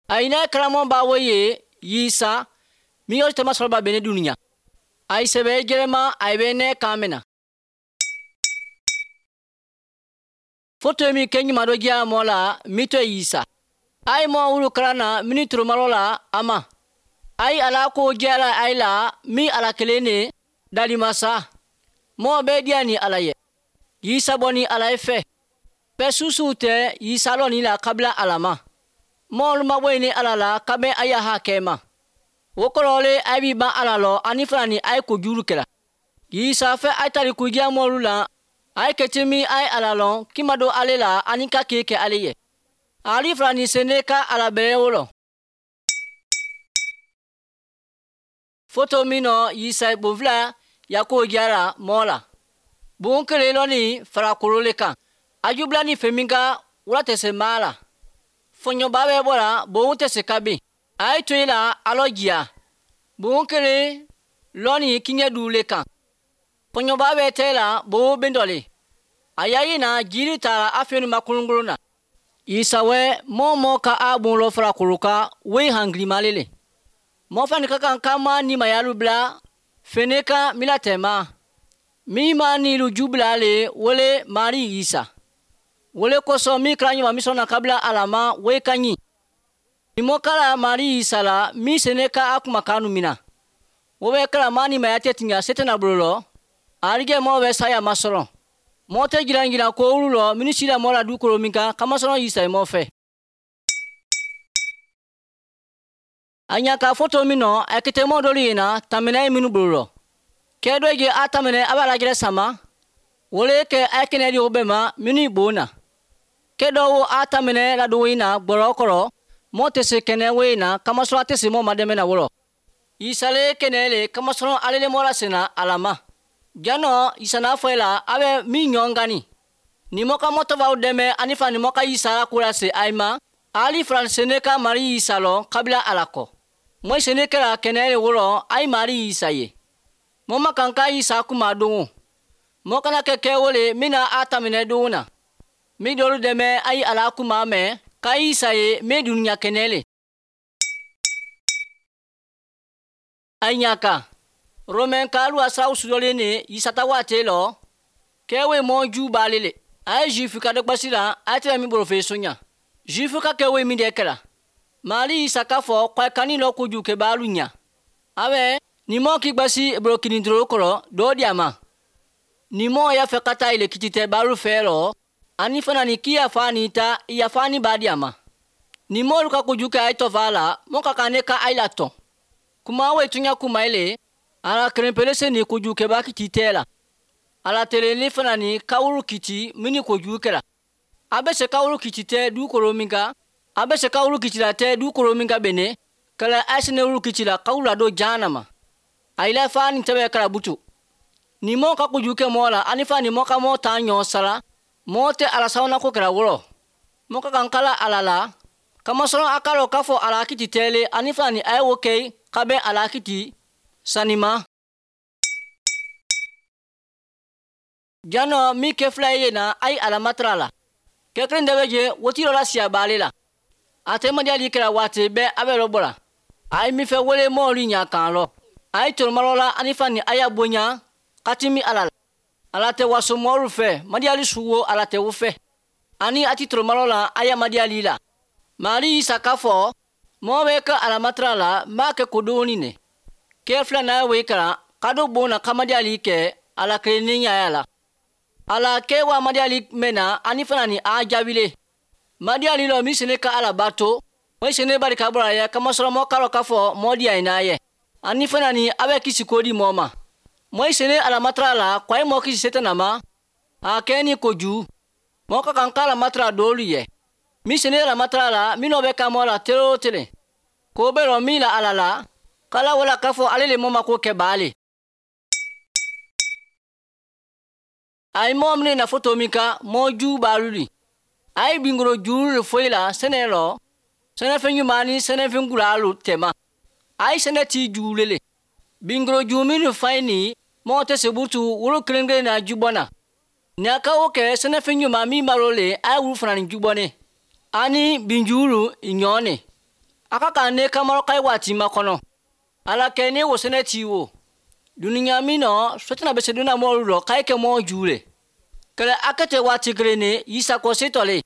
Aina karamɔ ba wo ye Yisa mi yo tama sɔrɔ ba bene dunuya. Ayi sɛbɛ jɛrɛma ayi bɛ ne kan mɛna. Foto mi kɛ ɲuman dɔ diya mɔ la mi to Yisa. Ayi mɔ wulu kalan na mini turumalo la a ma. Ayi ala ko jɛra ayi la mi ala kelen ne dalimasa. Mɔ bɛ diya ni ala ye. Yisa bɔ ni ala ye fɛ. Bɛɛ susu tɛ Yisa lɔ ni la kabila ala ma. Mɔɔlu ma bɔ ni ala la kabɛ a y'a hakɛ ma. O kɔrɔ le a b'i ban ala lɔ ani fana ni a ye kojuru kɛra. Yisa fɛ a tari kujiya mɔɔlu la a ye kɛti min a ye ala lɔn k'i ma don ale la ani ka k'e kɛ ale ye. Ali fana ni sene ka ala bɛrɛ wolo. Foto min nɔ Yisa bonfila yako jara mɔɔ la. Bon kelen lɔ ni farakolo le kan. A jubila ni fɛn min ka wula tɛ se maa la. Fɔɲɔba bɛ bɔra bon tɛ se ka bin. A ye to i la alɔ jiya. Bon kelen lɔ ni kiɲɛ du le kan. Fɔɲɔba bɛ tɛ la bon bɛ dɔ le. A y'a ye na jiri taara a fɛn ma kolonkolon na. Yisa wɛ mɔɔ mɔɔ ka a bon lɔ farakolo kan wo ye hangilimale le. Mɔɔ fana ka kan ka ma ni mayalu bila fene kan mila tɛma. Min ma nilu ju bila le wele Mari Yisa. Wele kosɔn min kɛra ɲuman min sɔnna kabila ala ma o ye ka ɲi. Ni mɔ kala Mari Yisa la min sene ka a kumakan mina. O bɛ kɛra maa ni maya tɛ tiɲɛ se tɛna bolo lɔ. Arijɛ mɔɔ bɛ saya ma sɔrɔ. Mɔɔ tɛ jiran jiran ko olu lɔ minnu sira mɔɔ la dukolo min kan kamasɔrɔ Yisa ye mɔɔ fɛ. A ɲa ka foto min nɔ a kɛtɛ mɔɔ dɔlu ye na tamɛnɛ ye minnu bolo lɔ. Kɛ dɔ je a tamɛnɛ a b'a lajɛrɛ sama. Wole kɛ a kɛnɛ di o bɛɛ ma minnu bon na. Kɛ dɔ wo a tamɛnɛ la don in na gbɔrɔ kɔrɔ mɔɔ tɛ se kɛnɛ wo in na kamasɔrɔ a tɛ se mɔɔ ma dɛmɛ na wɔlɔ. Yisa le kɛnɛ le kamasɔrɔ ale le mɔɔ la senna ala ma. Janɔ Yisa n'a fɔ e la a bɛ min ɲɔgɔn gani. Ni mɔ ka mɔtɔ b'aw dɛmɛ ani fa ni mɔ ka Yisa la ko lase ayi ma. Ali faransi ne ka Mari Yisa lɔ kabila ala kɔ. Mɔ sene kɛra kɛnɛ le wɔlɔ ayi Mari Yisa ye. Mɔ ma kan ka Yisa kuma don o. Mɔ kana kɛ kɛ wo le min na a taminɛ don na. Min dɔlu dɛmɛ ayi ala kuma mɛn ka Yisa ye min dunuya kɛnɛ le. Ayi ɲa kan. Romain kalu asraw sudɔlen ne Yisa ta waati lɔ. Kɛwe mɔ ju b'ale le. A ye Juif ka dɔgbasi la a tɛ min bolo fɛ sonya. Juif ka kɛwe min de kɛra. Mali Yisa k'a fɔ k'a kani lɔ kojugu kɛ b'alu ɲa. A bɛ ni mɔ k'i gbasi bolo kinintoro kɔrɔ dɔw di a ma. Ni mɔ y'a fɛ ka taa ile kiti tɛ b'alu fɛ lɔ. Ani fana ni k'i yafa ni ta yafa ni b'a di a ma. Ni mɔlu ka kojugu kɛ a ye tɔfa la mɔ ka kan ne ka a la tɔn. Kuma wo tunya kuma ile. Ala kelenpele se ni kojugu kɛba kiti tɛ la. Ala tele ni fana ni kawuru kiti min ni kojugu kɛra. A bɛ se kawuru kiti tɛ dukolo min kan. A bɛ se kawuru kiti la tɛ dukolo min kan bene. Kɛlɛ a sene wuru kiti la kawuru la don jahanama ma. A yila fa ni tɛbɛ kɛra butu. Ni mɔ ka kojugu kɛ mɔɔ la ani fa ni mɔ ka mɔɔ t'an ɲɔ sara. Mɔɔ tɛ ala sabanan ko kɛra wɔlɔ. Mɔ ka kan kala ala la. Kamasɔrɔ a k'a lɔn k'a fɔ ala kiti tɛ le ani fana ni a ye wo kɛ ka bɛn ala kiti sanima. Janɔ min kɛ fila ye na a ye ala matara la. Kɛ kelen dɔ bɛ je woti dɔ la siya b'ale la. A tɛ madiyali kɛra waati bɛɛ a bɛ lɔ bɔ la. A ye min fɛ wele mɔɔlu ɲa kan lɔ. A ye toromalɔ la ani fa ni a y'a bonya ka timi ala la. Ala tɛ waso mɔɔlu fɛ madiyali suwo ala tɛ wo fɛ. Ani a ti toromalɔ la a y'a madiyali la. Mari Yisa k'a fɔ mɔɔ bɛ kɛ ala matara la m'a kɛ kodonni ne. Kɛ fila n'a ye wo kalan ka dɔ bon na ka madiyali kɛ ala kelen ni ɲaya la. Ala kɛ wa madiyali mɛn na ani fana ni a jaabile. Madiyali lɔ min sene ka ala bato. O sene barika bɔra ye kamasɔrɔ mɔ k'a lɔ k'a fɔ mɔ diya ye n'a ye. Ani fana ni a bɛ kisi ko di mɔ ma. Mɔ sene ala matara la k'a ye mɔ kisi setana ma. A kɛ ni kojugu. Mɔ ka kan k'ala matara dɔwlu ye. Min sene ala matara la minnu bɛ ka mɔ la tele o tele. Ko bɛ lɔ min la ala la. Kala wala k'a fɔ ale le mɔ ma ko kɛ baale. A ye mɔɔ minɛ na foto min kan mɔ ju b'alu li. A ye bingoro juru le foyi la sɛnɛ lɔ. Sɛnɛfɛn ɲuman ni sɛnɛfɛn gulalu tɛma. A ye sɛnɛ ti juru le. Bingoro ju minnu fa ye nin mɔgɔ tɛ se butu wolo kelen kelen na jubɔ na. Ni a ka o kɛ sɛnɛfɛn ɲuman min b'a le a ye wulu fana ni jubɔ ne. Ani binjuru ɲɔ ne. A ka kan ne kamaro kai waati makɔnɔ. Ala kɛ ne wo sɛnɛ ti wo. Dunuya min nɔ, sotana bɛ se donna mɔɔlu lɔ k'a kɛ mɔɔ ju le. Kɛlɛ a kɛ tɛ waati kelen ne, Yisa kɔ se tɔle.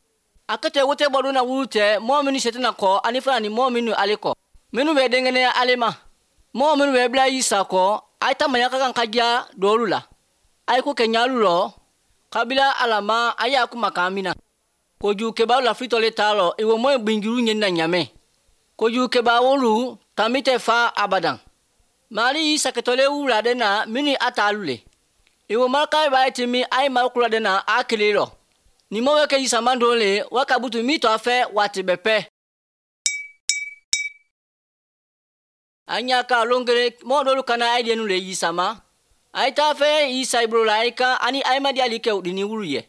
A kɛ tɛ wote bɔ donna wulu tɛ, mɔɔ minnu setana kɔ, ani fana ni mɔɔ minnu ale kɔ. Minnu bɛ denkɛnɛya ale ma. Mɔɔ minnu bɛ bila Yisa kɔ, a ye tamaya ka kan ka diya dɔwlu la. A ye ko kɛ ɲalu lɔ, kabila ala ma a y'a kumakan min na. Kojugukɛbaw lafilitɔle t'a lɔ, i wo mɔ gbinjuru ɲinina ɲamɛ. Kojugukɛba wolu tanbi tɛ fa abadan. Mali y'i sakɛtɔle wuladen na minnu a t'alu le. I wo maraka b'a ti min a ye marikuladen na a kelen lɔ. Ni mɔ bɛ kɛ Yisa don le, wa ka butu min to a fɛ waati bɛɛ pɛ. A ɲa ka lon kelen mɔgɔ dɔlu kana a ye denu le Yisa ma. A ye taa fɛ Yisa i bolo la a ye kan ani a ye madiyali kɛ u ni wulu ye.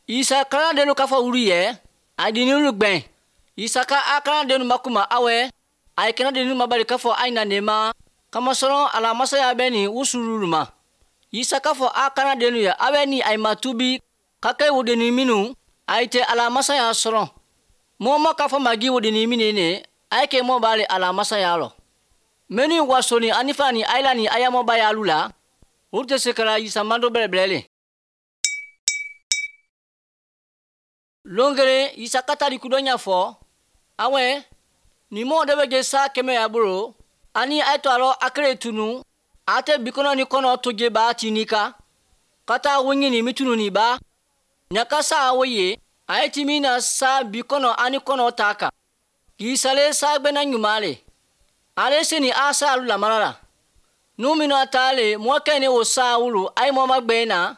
Yisa kalandennu k'a fɔ wulu ye, a di ni wulu gbɛn. Yisa ka a kalandennu ma kuma awɛ, a ye kɛnɛdennu ma bali k'a fɔ a ɲina ne ma, kamasɔrɔ ala masaya bɛ nin wusululu ma. Yisa k'a fɔ a kalandennu ye, a bɛ ni a ma tubi ka kɛ wodenni minnu, a ye tɛ ala masaya sɔrɔ. Mɔgɔ ma k'a fɔ magi wodenni minnu ne, a ye kɛ mɔ b'ale ala masaya lɔ. Minnu wasoni ani fa ni ayila ni ayamɔba y'alu la, olu tɛ se ka Yisa mando bɛrɛbɛrɛ le. Lon kelen Yisa ka tali kudɔ ɲɛfɔ, awɛ, ni mɔgɔ dɔ bɛ je sa kɛmɛ y'a bolo, ani a ye to a lɔ a kelen tunu, a tɛ bikɔnɔ ni kɔnɔ to je ba tini ka, ka taa wo ɲini mi tunu ni ba, ɲaka sa wo ye, a ye ti min na sa bikɔnɔ ani kɔnɔ ta kan. Yisa le sa gbɛnna ɲuman le. Ale se ni a sa alu lamara la. Nu minnu a ta le, mɔ kɛ ne o sa wulu, a ye mɔ ma gbɛn na,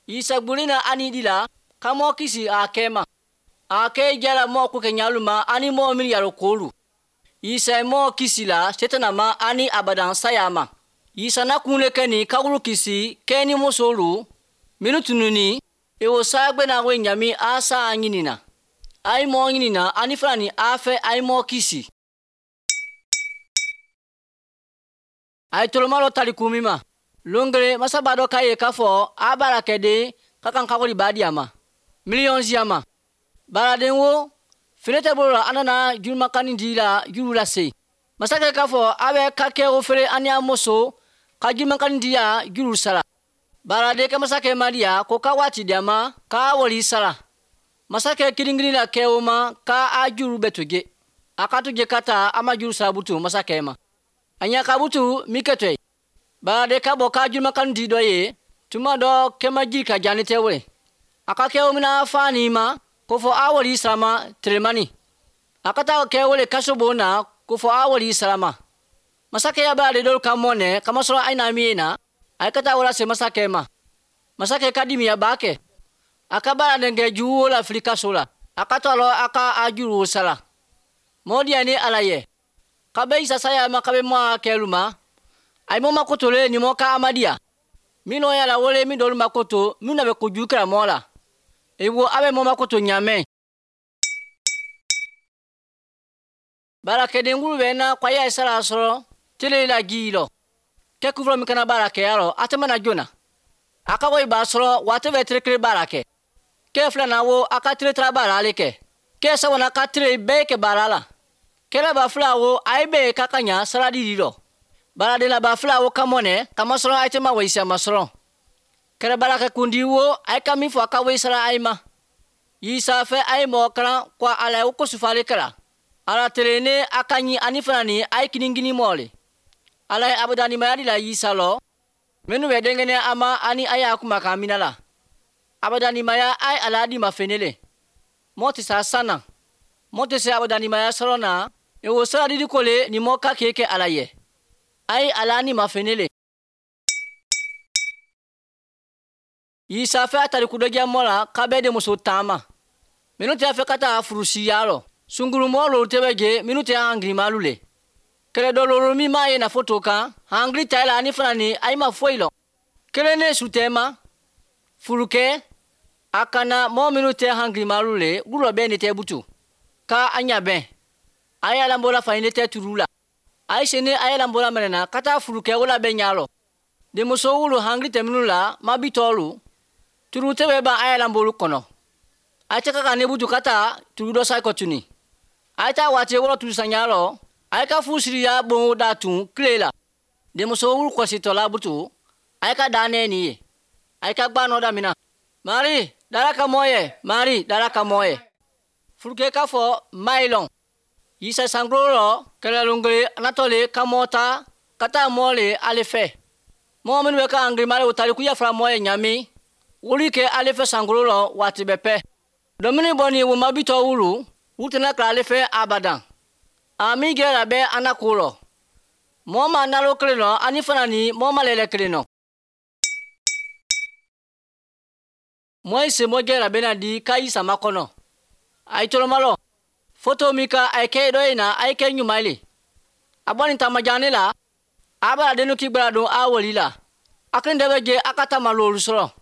Yisa gbuli na ani di la, ka mɔ kisi a kɛ ma. A kɛ jala mɔ ko kɛ ɲalu ma, ani mɔ min yaro kolu. Yisa ye mɔ kisi la, setana ma ani abadan saya ma. Yisa na kun le kɛ ni kawulu kisi, kɛ ni musolu, minnu tununi, e o sa gbɛnna wo ɲami a sa ɲinina. A ye mɔ ɲinina, ani fana ni a fɛ a ye mɔ kisi. A ye toloma dɔ tali kun min ma. Lon kelen masaba dɔ k'a ye k'a fɔ a baarakɛden ka kan ka wari ba di a ma. Miliyɔn si a ma. Baaraden wo, fini tɛ bolo la an nana jurumakani di la juru lase. Masakɛ k'a fɔ a bɛ ka kɛ o feere ani a muso ka jurumakani di ya juru sara. Baaraden kɛ masakɛ ma di ya ko ka waati di a ma k'a wari sara. Masakɛ kirin-kirin la kɛ o ma k'a a juru bɛ to je. A ka to je ka taa a ma juru sara butu masakɛ ma. A ɲa ka butu min kɛ to ye. Baaraden ka bɔ k'a jurumakani di dɔ ye, tuma dɔ kɛma ji ka diya ni tɛ wele. A ka kɛ o mina fa ni ma, ko fɔ a wari sara ma telemani. A ka taa kɛ wele kaso bon na, ko fɔ a wari sara ma. Masakɛ ya b'ale dɔw ka mɔnɛ, kamasɔrɔ a na min ye na, a ye ka taa wala se masakɛ ma. Masakɛ ka dimi a b'a kɛ. A ka baara denkɛ jugu la fili kaso la. A ka to a lɔ a ka a juru sara. Mɔɔ diya ni ala ye. Ka bɛ Yisa saya ma ka bɛ mɔ a kɛlu ma. A ye mɔ ma kotole ni mɔ ka amadiya. Minnu y'a la wele min dɔlu ma koto, minnu na bɛ kojugu kɛra mɔ la. I wo a bɛ mɔ ma koto ɲamɛ. Baarakɛden wulu bɛ na ko a y'a sara sɔrɔ tele la ji lɔ. Kɛ kufɔlɔ min kana baara kɛ yɔrɔ, a tɛ mana joona. A ka wari b'a sɔrɔ waati bɛ tile kelen baara kɛ. Kɛ filanan wo a ka tile tara baara ale kɛ. Kɛ sabanan ka tile bɛɛ kɛ baara la. Kɛlɛ ba fila wo a ye bɛɛ ka ka ɲa saradi di dɔ. Baaraden la ba fila wo ka mɔnɛ kamasɔrɔ a tɛ ma wayisa ma sɔrɔ. Kɛrɛ baarakɛ kundi wo a ye ka min fɔ a ka wayi sara a ye ma. Yisa fɛ a ye mɔgɔ kalan ko ala ye o ko sufale kɛra. Ala tere ne a ka ɲi ani fana ni a ye kinikini mɔ le. Ala ye abadanimaya di la Yisa lɔ. Minnu bɛ denkɛnɛ a ma ani a y'a kumakan mina la. Abadanimaya a ye ala di ma fene le. Mɔ tɛ sa san na. Mɔ tɛ se abadanimaya sɔrɔ na. E wo sara didi ko le ni mɔ ka k'e kɛ ala ye. A ye ala ni ma fene le. Yisa fɛ a tari kudɔdiya mɔ la k'a bɛ de muso taama. Minnu tɛ fɛ ka taa furusiya lɔ. Sungurumɔ lolu tɛ bɛ je minnu tɛ hangirimalu le. Kɛlɛ dɔ lolu min m'a ye na foto kan, hangiri ta la ani fana ni a ma foyi lɔ. Kelen ne su tɛ ma. Furukɛ, a kana mɔgɔ minnu tɛ hangirimalu le, wulɔ bɛɛ ne tɛ butu. Ka a ɲa bɛn. A ye alambola fa ne tɛ turu la. A ye sini a ye alambola minɛ na ka taa furukɛ wala bɛ ɲa lɔ. Denmuso wulu hangiri tɛ minnu la, ma bi tɔɔlu. Turu tɛ bɛ ban a ye alambolu kɔnɔ. A tɛ ka ka ne butu ka taa turu dɔ sa kɔ tuni. A ye taa waati wɔrɔ turu sanya lɔ. A ka fusiri ya bon da tun kile la. Denmuso wulu kɔsitɔla butu a ka dan ne nin ye. A ka gba nɔ damina. Mari dara ka mɔ ye, Mari dara ka mɔ ye. Furuke k'a fɔ mailɔn. Yisa sankolo rɔ kɛlɛlongele anatɔle ka mɔ ta ka taa mɔ le ale fɛ. Mɔgɔ minnu bɛ ka angirimale o tali ku yafara mɔ ye ɲami. Wuli kɛ ale fɛ sankolo rɔ waati bɛɛ pɛ. Domini bɔ ni wo mabitɔ wulu, u tɛna kila ale fɛ abadan. A min gɛrɛ bɛ an ko rɔ. Mɔgɔ ma nalo kelen nɔ ani fana ni mɔgɔ ma lɛlɛ kelen nɔ. Mɔ ye senbɔ gɛrɛ bɛ na di k'a y'i sama kɔnɔ. A ye tɔlɔmalɔ. Foto min ka a ye kɛ dɔ in na a ye kɛ ɲuman le. A bɔ nin taamajan ne la. A b'a dennu k'i gbɛra don a woli la. A kelen de bɛ jɛ a ka taama loolu sɔrɔ.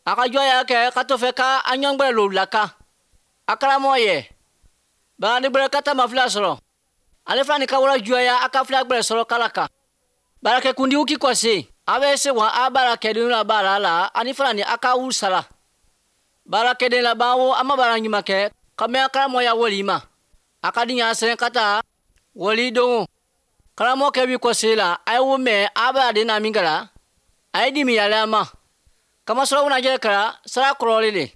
A ka jɔ y'a kɛ ka to fɛ ka a ɲɔgɔn gbɛrɛ loolu la kan. A karamɔgɔ yɛ. Bagani gbɛrɛ ka taama fila sɔrɔ. Ale fana ni ka wara juguya a ka fila gbɛrɛ sɔrɔ kala kan. Baarakɛkundiw k'i kɔse. A bɛ se wa a baarakɛden la baara la ani fana ni a ka wulu sara. Baarakɛden laban wo a ma baara ɲuman kɛ ka mɛn karamɔgɔya wali ma. A ka di ɲa sɛnɛ ka taa wali don. Karamɔgɔkɛ b'i kɔse la a ye wo mɛn a b'a den na min kɛra a ye dimi yɛlɛ a ma. Kamasɔrɔ wunajɛ kɛra sara kɔrɔlen le.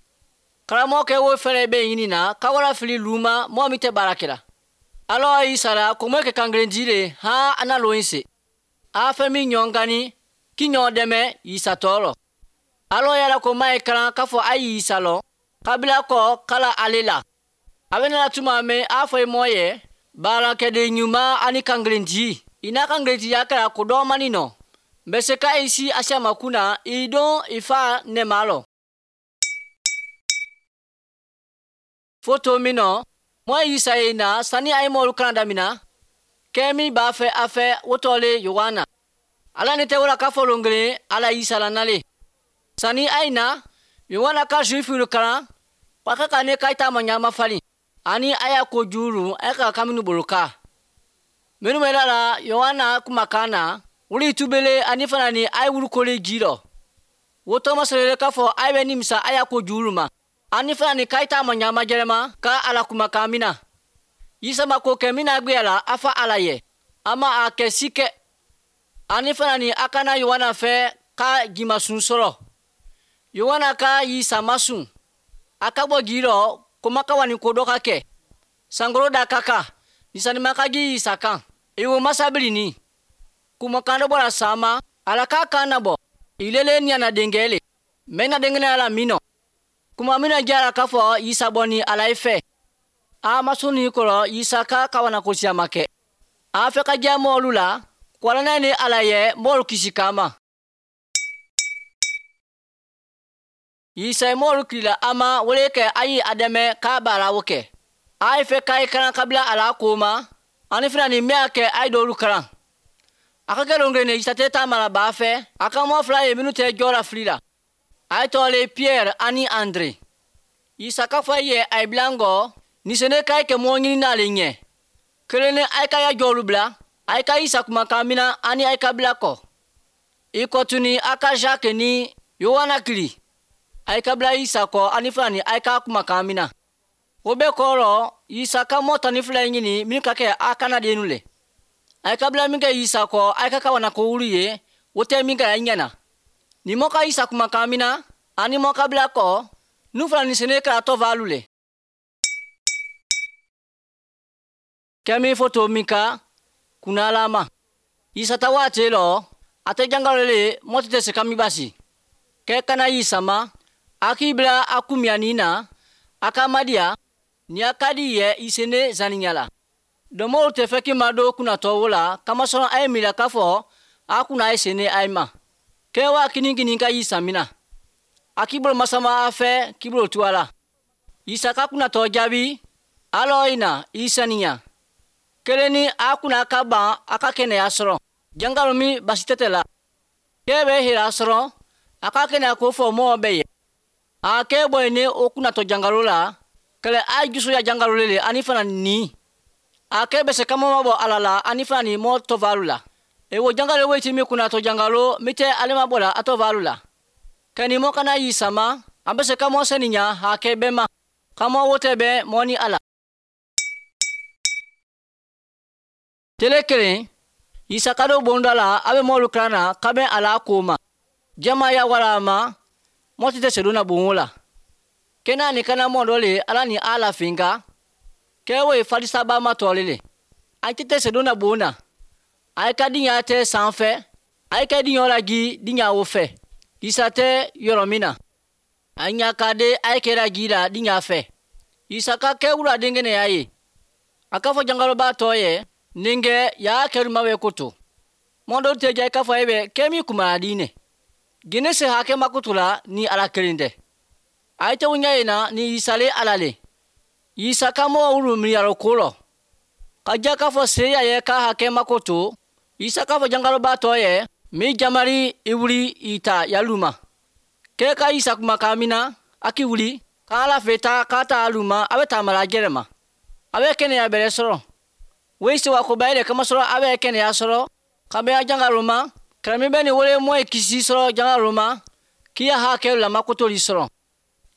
Karamɔgɔkɛ wo fɛrɛ bɛ ɲini na ka wara fili lu ma mɔgɔ min tɛ baara kɛra. Alɔ y'i sara kɔmɔ kɛ kan kelen ji le han a na lon se. A fɛn min ɲɔgɔn gani k'i ɲɔgɔn dɛmɛ yisatɔ rɔ. Alɔ yɛrɛ ko ma ye kalan k'a fɔ a y'i salɔ kabila kɔ kala ale la. A bɛ nana tuma mɛn a fɔ i mɔ ye baarakɛden ɲuman ani kan kelen ji. I n'a kan kelen jiya kɛra ko dɔɔmani nɔ. N bɛ se ka i si asiyama kunna i don i fa nɛma lɔ. Foto min nɔ mɔ yisa ye na sani a ye mɔlu kalan damina. Kɛ min b'a fɛ a fɛ wotɔ le Yohana. Ala ni tɛ wala k'a fɔ lon kelen ala yisa la nale. Sani a ye na Yohana ka zuwifu kalan wa ka ka ne ka taa ma ɲama falen. Ani a y'a ko juru a ka kaminu bolo ka. Minnu bɛ la Yohana kumakan na wuli tubele ani fana ni a ye wulukole ji rɔ. Wotɔ ma sɔrɔ k'a fɔ a bɛ nimisa a y'a ko juru ma. Ani fana ni ka taa ma ɲama jɛrɛma ka ala kumakan min na. Yisa ma ko kɛ min na gbɛ la a fa ala ye. A ma a kɛ si kɛ. Ani fana ni a kana Yohana fɛ ka jimasun sɔrɔ. Yohana ka yisa ma sun. A ka bɔ ji rɔ ko ma ka wa ni ko dɔ ka kɛ. Sankolo da ka kan. Nisanima ka ji yisa kan. Iwo masabili ni. Kumakan dɔ bɔra sama. Ala k'a kan nabɔ. Ilele ni ana denkɛ le. Mɛ na denkɛ ala min nɔ. Kuma mina jara k'a fɔ yisa bɔ ni ala ye fɛ. A ma sɔn ni kɔrɔ yisa ka kawana ko siyama kɛ. A fɛ ka diya mɔɔlu la. Kwalanɛ ni ala ye mɔɔlu kisi kama. Yisa ye mɔɔlu kilila a ma wele kɛ a ye a dɛmɛ k'a baara o kɛ. A ye fɛ k'a ye kalan kabila ala ko ma. Ani fana ni min y'a kɛ a ye dɔwlu kalan. A ka kɛ lon kelen yisa tɛ taama la b'a fɛ. A ka mɔɔ fila ye minnu tɛ jɔ la fili la. A ye tɔgɔ le Pierre ani Andre. Yisa k'a fɔ a ye a ye bila n kɔ. Nisene k'a ye kɛ mɔgɔ ɲini n'ale ɲɛ. Kelen ni a ye ka ya jɔlu bila. A ye ka yisa kumakan mina ani a ye ka bila kɔ. I kɔ tuni a ka Jacques ni Yohana kili. A ye ka bila yisa kɔ ani fana ni a ye ka kumakan mina. O bɛɛ kɔrɔ yisa ka mɔ 12 ɲini min ka kɛ a kana dennu le. A ye ka bila min kɛ yisa kɔ a ye ka kawana ko wulu ye o tɛ min kɛra ɲɛ na. Ni mɔ ka yisa kumakan mina ani mɔ ka bila kɔ nu fana ni sene kɛra tɔvalu le. Kɛ min foto min ka kunnalama. Yisa ta waati lɔ a tɛ jangalo le mɔ tɛ se ka min basi. Kɛ kana yisa ma a k'i bila a kumiyani na a ka madiya ni a ka di yɛ i sene zaniya la. Dɔmɔw tɛ fɛ k'i ma don kunnatɔ wo la kamasɔrɔ a ye miiri k'a fɔ a kunna a ye sene a ye ma. Kɛ wa kini kini ka yisa mina. A k'i bolo masama a fɛ k'i bolo tu a la. Yisa ka kunnatɔ jaabi alɔ i na i saniya. Kelen ni a kunna ka ban a ka kɛnɛya sɔrɔ. Jangalo min basi tɛ tɛ la. Kɛ bɛ hɛrɛ sɔrɔ a ka kɛnɛya ko fɔ mɔgɔ bɛɛ ye. A kɛ bɔ ne o kunnatɔ jangalo la kɛlɛ a jusuya jangalo le ani fana ni. A kɛ bɛ se ka mɔ bɔ ala la ani fana ni mɔ tɔvalu la. E wo jangalo wo ti mi kunnatɔ jangalo mi tɛ ale ma bɔ la a tɔvalu la. Kɛ ni mɔ kana y'i sama a bɛ se ka mɔ sɛniya hakɛ bɛɛ ma. Ka mɔ wo tɛ bɛn mɔ ni ala. Tele kelen Isa ka don bonda la a bɛ mɔlu kalan na ka bɛn a la ko ma. Jama ya wala ma mɔti tɛ sedon na bon la. Kena ni kana mɔ dɔ le ala ni ala finka. Kɛ wo ye falisaba ma tɔɔle le. A tɛ sedon na bon na. A ka diɲɛ tɛ sanfɛ. A ka diɲɛ la gi diɲɛ wo fɛ. Isa tɛ yɔrɔ min na. A ɲa ka de a kɛra ji la diɲɛ fɛ. Isa ka kɛ wula denkɛnɛ y'a ye. A k'a fɔ jangaloba tɔ ye ninkɛ y'a kɛruma bɛ koto. Mɔ dɔ tɛ ja i k'a fɔ e bɛ kɛ min kumara diinɛ. Gine se hakɛ makoto la ni ala kelen tɛ. A ye tɛ ɲɛ yen na ni Isa le ala le. Isa ka mɔgɔ wulu miliyari ko lɔ. Ka ja k'a fɔ seya ye k'a hakɛ makoto. Isa k'a fɔ jangaloba tɔ ye mi jamari i wuli i ta yaluma. Kɛ ka Isa kumakan min na a k'i wuli k'ala fɛ ta k'a ta aluma a bɛ taamala jɛrɛ ma. A bɛ kɛnɛya bɛrɛ sɔrɔ. Wo sewa ko ba yɛrɛ kamasɔrɔ a bɛ kɛnɛya sɔrɔ. Ka bɛn a jangalo ma. Kɛrɛmi bɛ nin wele mɔ ye kisi sɔrɔ jangalo ma. K'i ya hakɛ lamakotoli sɔrɔ.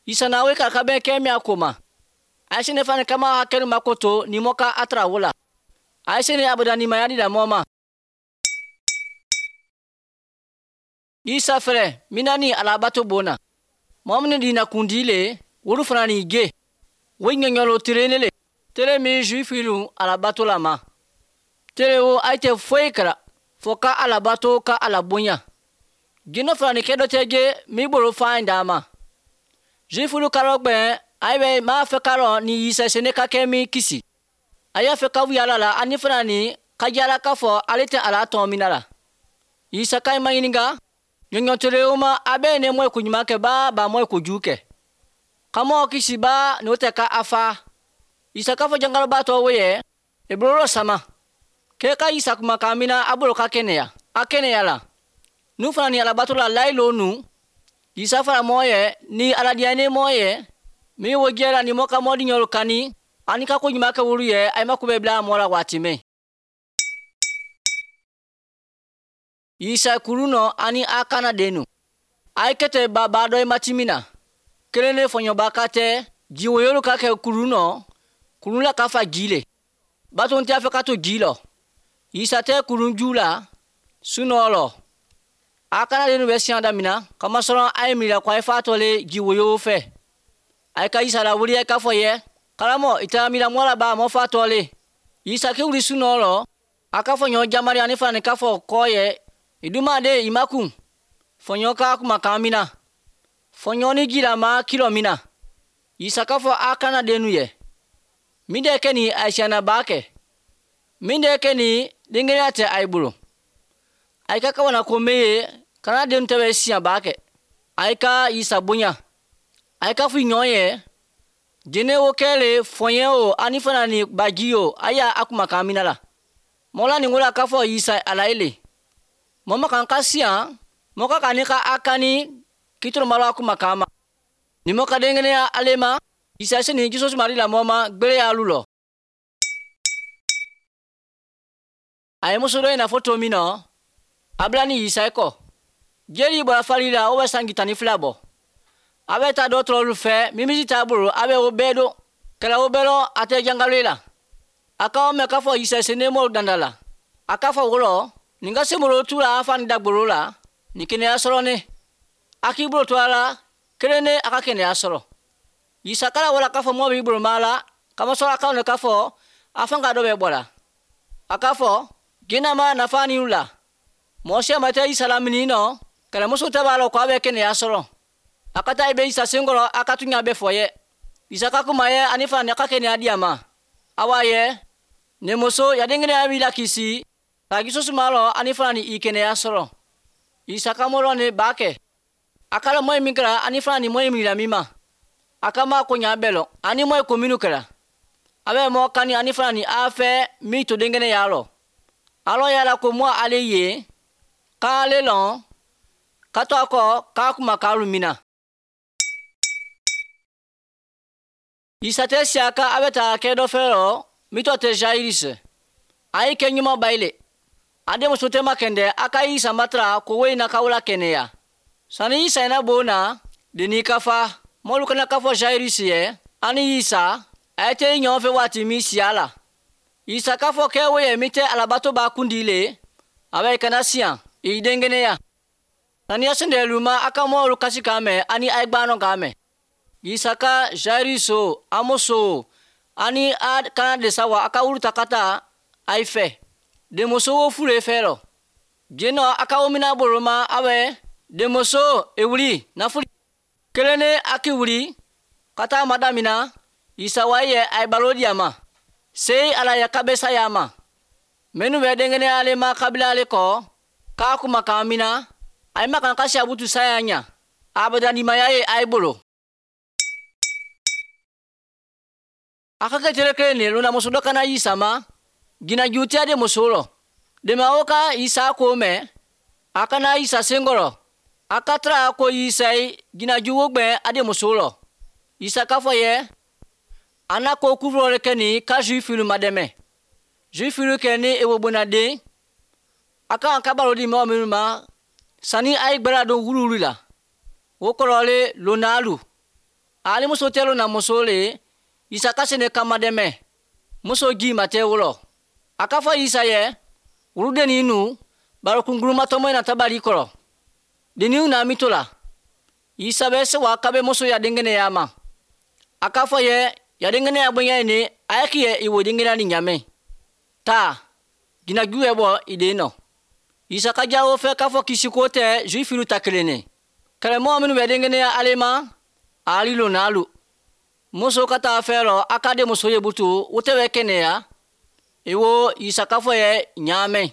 Isa na we ka ka bɛn kɛ min a ko ma. A ye sini fani kama hakɛ makoto ni mɔ ka a tara wo la. A ye sini abada nimaya di la mɔ ma. Isa fɛrɛ mina ni alabato bona. Mɔgɔ minnu di na kundi le wolu fana ni ge. Wo ɲɛɲɔlo tere ne le. Tere min juifilu alabato la ma. Tere wo a tɛ foyi kɛra fo ka alabato ka ala bonya. Jinɛ fana ni kɛ dɔ tɛ ge min bolo fa in d'a ma. Juifilu karɔ gbɛn a bɛ m'a fɛ karɔ ni Isa sene ka kɛ min kisi. A y'a fɛ ka yala la ani fana ni ka yala k'a fɔ ale tɛ ala tɔn min la. Isa ka ma ɲininka. Ɲɔɲɔtere o ma a bɛ ne mɔ ko ɲuman kɛ ba ba mɔ ko jugu kɛ. Ka mɔ kisi ba n'o tɛ ka a fa. Isa k'a fɔ jangaloba tɔ wo ye e bolo sama. Kɛ ka Isa kumakan min na a bolo ka kɛnɛya. A kɛnɛya la. Nu fana ni alabato la layilo nu. Isa fana mɔ ye ni aladiya ne mɔ ye. Min wo jɛra ni mɔ ka mɔ di ɲɔlu kani. Ani ka ko ɲuman kɛ wolu ye a ma ko bɛ bila mɔ la waati mɛn. Isa kuru nɔ ani a kana denu. A ye kɛtɛ ba ba dɔ ye mati min na. Kelen ne fɔɲɔba ka tɛ jiwoyolu ka kɛ kuru nɔ. Kurun la ka fa ji le. Bato tɛ a fɛ ka to ji lɔ. Isa tɛ kurun ju la sunɔgɔ lɔ. A kana denu bɛ siyan damina kamasɔrɔ a ye miiri ko a ye fa tɔ le jiwoyo fɛ. A ye ka Isa lawuli a k'a fɔ ye karamɔgɔ i taara miiri mɔ la ba mɔ fa tɔ le. Isa k'i wuli sunɔgɔ lɔ. A k'a fɔ ɲɔ jamari ani fana k'a fɔ kɔ ye. Iduma de imakun. Fɔɲɔ ka kumakan min na. Fɔɲɔ ni jira ma kilo min na. Isa k'a fɔ a kana denu ye. Min de kɛ ni a siyanna ba kɛ. Min de kɛ ni denkɛnya tɛ a ye bolo. A ka kawana ko me ye kana den tɛ bɛ siyan ba kɛ. A ye ka Isa bonya. A ye ka fɔ ɲɔgɔn ye. Jɛnɛ o kɛlen fɔɲɛ o ani fana ni baji o a y'a a kumakan min na la. Mɔla nin ko la k'a fɔ Isa ala ye le. Mɔ ma kan ka siyan mɔ ka kan ni ka a kani kitoro malo a kumakan ma. Ni mɔ ka denkɛnɛya ale ma. Isa se ni jisosu mari la mɔ ma gbere y'alu lɔ. A ye muso dɔ in na fɔ to min nɔ a bila ni Isa kɔ. Jeli bɔra fali la o bɛ sanji 12 bɔ. A bɛ taa dɔgɔtɔrɔlu fɛ mimisi t'a bolo a bɛ o bɛɛ don. Kɛlɛ o bɛɛ lɔ a tɛ jangalo la. A k'aw mɛn k'a fɔ Isa se ne mɔw danda la. A k'a fɔ wɔlɔ nin ka se molo tu la a fa ni dagbolo la nin kɛnɛya sɔrɔ ne. A k'i bolo to a la kelen ne a ka kɛnɛya sɔrɔ. Isa kala wala k'a fɔ mɔ b'i bolo ma la kamasɔrɔ a k'aw ne k'a fɔ a fan ka dɔ bɛ bɔ la. A k'a fɔ jinɛ ma nafa ni la. Mɔgɔ si ma tɛ Isa lamini nɔ kɛlɛmuso tɛ b'a la ko a bɛ kɛnɛya sɔrɔ. A ka taa i bɛ Isa senkɔrɔ a ka tuɲa bɛ fɔ ye. Isa ka kuma ye ani fana a ka kɛnɛya di a ma. Awa ye ne muso ya denkɛnɛya b'i la kisi. Ka jisosu ma lɔ ani fana ni i kɛnɛya sɔrɔ. Isa ka mɔlɔ ne b'a kɛ. A kala mɔ min kɛra ani fana ni mɔ min la min ma. A ka ma ko ɲa bɛɛ lɔ ani mɔ ko minnu kɛra. A bɛ mɔ kani ani fana ni a fɛ min to denkɛnɛya lɔ. Alɔ yala ko mɔ ale ye k'ale lɔn ka to a kɔ k'a kuma k'alu min na. Isa tɛ siya ka a bɛ taa kɛ dɔ fɛ lɔ min tɔ tɛ Jairus. A ye kɛ ɲuman ba ye le. A denmuso tɛ ma kɛndɛ a ka Isa matara ko wo in na k'aw la kɛnɛya. Sani Isa na bon na deni ka fa mɔlu kana k'a fɔ Jairus ye ani Isa a ye tɛ ɲɔgɔn fɛ waati min siya la. Isa k'a fɔ kɛ wo ye min tɛ alabato b'a kundi le a bɛ kana siyan i denkɛnɛya saniya sendɛlu ma a ka mɔɔlu kasi k'a mɛn ani a ye gbanɔ k'a mɛn. Isa ka Jairus amoso ani a kana de sa wa a ka wuru ta ka taa a ye fɛ denmuso wo fure fɛ lɔ jenɔ a ka wo mina bolo ma a bɛ denmuso ewuli nafuli kelen ne a ki wuli ka taa madamina Isa wa ye a ye balo di a ma sei ala ya kabe saya ma minnu bɛ denkɛnɛ ale ma kabila ale kɔ k'a kuma kan mina a ye makan kasi abutu saya ɲa abadanimaya ye a ye bolo. A ka kɛ tere kelen ne lona muso dɔ kana Isa ma jinaju tɛ de muso lɔ dema o ka Isa ko mɛn a kana Isa senkɔrɔ a ka tara ko Isa ye jinaju wo gbɛ a de muso lɔ. Isa k'a fɔ yɛ a n'a ko kufurɔ kɛ nin ka Zuwifu ma dɛmɛ Zuwifu kɛ ni ewo bonnaden a kan ka balo di mɔgɔ minnu ma sanni a ye gbɛrɛ don wuluwulu la o kɔrɔ le lonalu ale muso tɛ lona muso le Isa ka se ne kama dɛmɛ muso ji ma tɛ wolo a k'a fɔ Isa yɛ wuludennin nu baro kunguruma tɔmɔ in na tabali kɔrɔ denniw na mi to la Isa bɛ se wa kabe muso ya denkɛnɛya ma a k'a fɔ yɛ ya denkɛnɛya bonya ye ne a ye k'i yɛ i wo denkɛnɛya ni ɲamɛ taa jinaju yɛ bɔ i den nɔ. Isa ka jawo fɛ k'a fɔ kisi ko tɛ Zuwifu ta kelen ne kɛlɛmɔgɔ minnu bɛ denkɛnɛya ale ma ali lonalu muso ka taa fɛ lɔ a ka den muso ye butu o tɛ bɛ kɛnɛya i wo Isa k'a fɔ yɛ ɲaamɛ.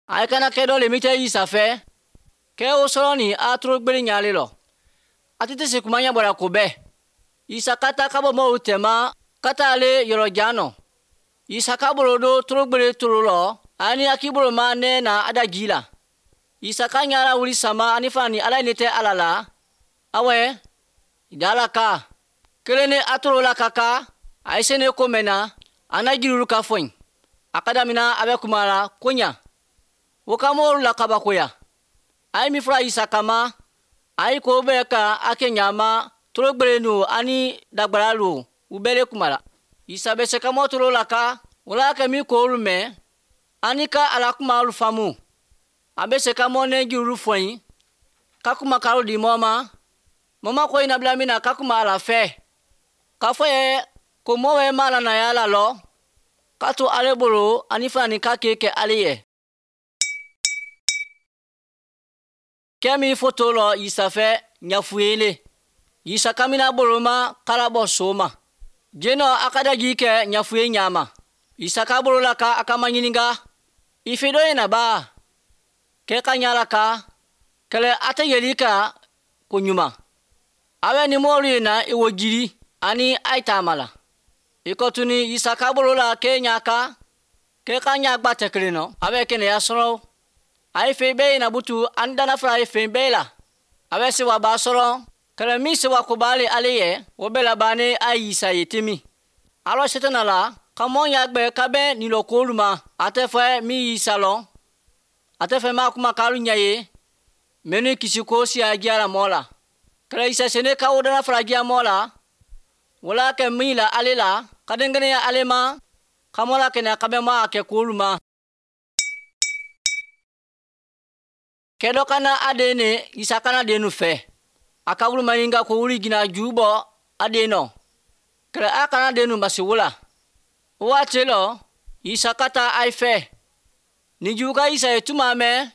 A ye kana kɛ dɔ le min tɛ Isa fɛ kɛ o sɔrɔ nin a toro gbere ɲaale lɔ a tɛ se kuma ɲɛ bɔra ko bɛɛ. Isa ka taa ka bɔ mɔgɔw tɛma ka taa ale yɔrɔ jan nɔ. Isa ka bolo do toro gbere toro lɔ ani a k'i bolo ma nɛ na a da ji la. Isa ka ɲara wuli sama ani fana ni ala ye ne tɛ ala la awɛ dala ka kelen ne a toro la ka ka a ye se ne ko mɛn na a n'a jiriw ka fɔ yen a ka damina a bɛ kuma la ko ɲa o ka mɔgɔw la kabakoya a ye min fɔra Isa kama a ye ko bɛɛ ka a kɛ ɲama toro gbere nu ani dagbara lu u bɛɛ le kuma la. Isa bɛ se ka mɔ toro la ka wala kɛ min k'olu mɛn ani ka ala kuma olu faamu a bɛ se ka mɔ ne jiriw fɔ yen ka kuma karo di mɔ ma mɔ ma ko in nabila min na ka kuma ala fɛ k'a fɔ yɛ ko mɔ bɛ ma la na ya la lɔ k'a to ale bolo ani fana ni k'a kɛ kɛ ale yɛ. Kɛ min foto lɔ Isa fɛ ɲafuyele Isa kamina bolo ma kala bɔ so ma jenɔ a ka daji kɛ ɲafuye ɲama Isa ka bolo la ka a ka maɲininka i fɛ dɔ ye na ba kɛ ka ɲa la ka kɛlɛ a tɛ yeli ka ko ɲuman a bɛ ni mɔɔlu ye na i wo jiri ani a ye taama la i kɔ tuni Isa ka bolo la kɛ ɲa ka kɛ ka ɲa gba tɛ kelen nɔ a bɛ kɛnɛya sɔrɔ a ye fɛn bɛɛ ye na butu ani dana fila ye fɛn bɛɛ la a bɛ sewa ba sɔrɔ kɛlɛ min sewa ko b'ale ale yɛ o bɛɛ laban a ye Isa ye temi alɔ setana la ka mɔ y'a gbɛ ka bɛ nin k'olu ma a tɛ fɛ min Isa lɔ a tɛ fɛ maa kuma k'alu ɲɛ ye mɛ ni kisi ko siya diyara mɔ la kɛlɛ Isa sene ka o dana fila diya mɔ la wala kɛ min la ale la ka denkɛnɛya ale ma ka mɔ la kɛnɛya ka bɛ mɔ a kɛ k'olu ma. Kɛ dɔ kana a den ne Isa kana den nu fɛ a ka wuli maɲininka ko wuli jina ju bɔ a den nɔ kɛlɛ a kana den nu masi wo la o waati lɔ Isa ka taa a fɛ ni ju ka Isa ye tuma mɛn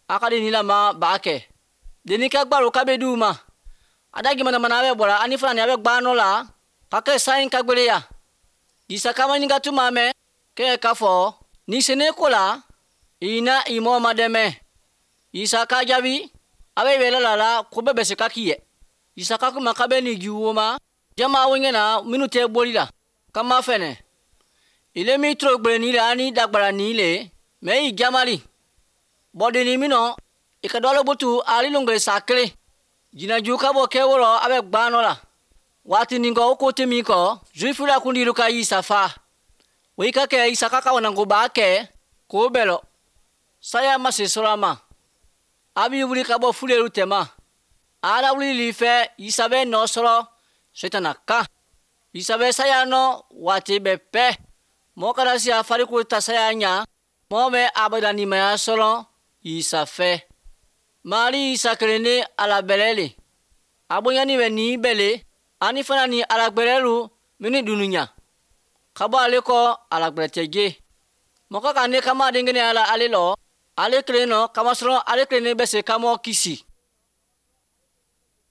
a ka denni lama b'a kɛ denni ka gbaro ka bɛ d'u ma a da gimanamana a bɛ bɔra ani fana ni a bɛ gbanɔ la ka kɛ san ka gbeleya Isa ka maɲininka tuma mɛn kɛ k'a fɔ ni sene ko la i na i mɔ ma dɛmɛ. Isa ka jaabi a bɛ yɛlɛ la la ko bɛɛ bɛ se ka k'i yɛ Isa ka kuma ka bɛ nin ju ma jama wo ɲɛna minnu tɛ boli la kama fɛnɛ ile min toro gbere ni le ani dagbara ni le mɛ i jamali bɔdenni min nɔ i ka dɔ butu ali longere sa kelen jinaju ka bɔ kɛ wɔlɔ a bɛ gbanɔ la waati nin kɔ o ko tɛ min kɔ Zuwifu la kundilu ka Isa fa o i ka kɛ Isa ka kawananko b'a kɛ k'o bɛɛ lɔ saya ma se sɔrɔ a ma a b'i wuli ka bɔ fuleru tɛma ala wuli li fɛ Isa bɛ nɔ sɔrɔ setana kan. Isa bɛ saya nɔ waati bɛɛ pɛ. Mɔgɔ kana se a farikolo ta saya ɲa, mɔgɔ bɛ abadanimaya sɔrɔ Isa fɛ. Mari Isa kelen ne ala bɛlɛ le. A bonyani bɛ nin bɛɛ le, ani fana ni ala gbɛrɛlu mini dununya. Ka bɔ ale kɔ ala gbɛrɛ tɛ je. Mɔgɔ ka ne kama den kelen ala ale lɔ, ale kelen nɔ kamasɔrɔ ale kelen ne bɛ se ka mɔgɔ kisi.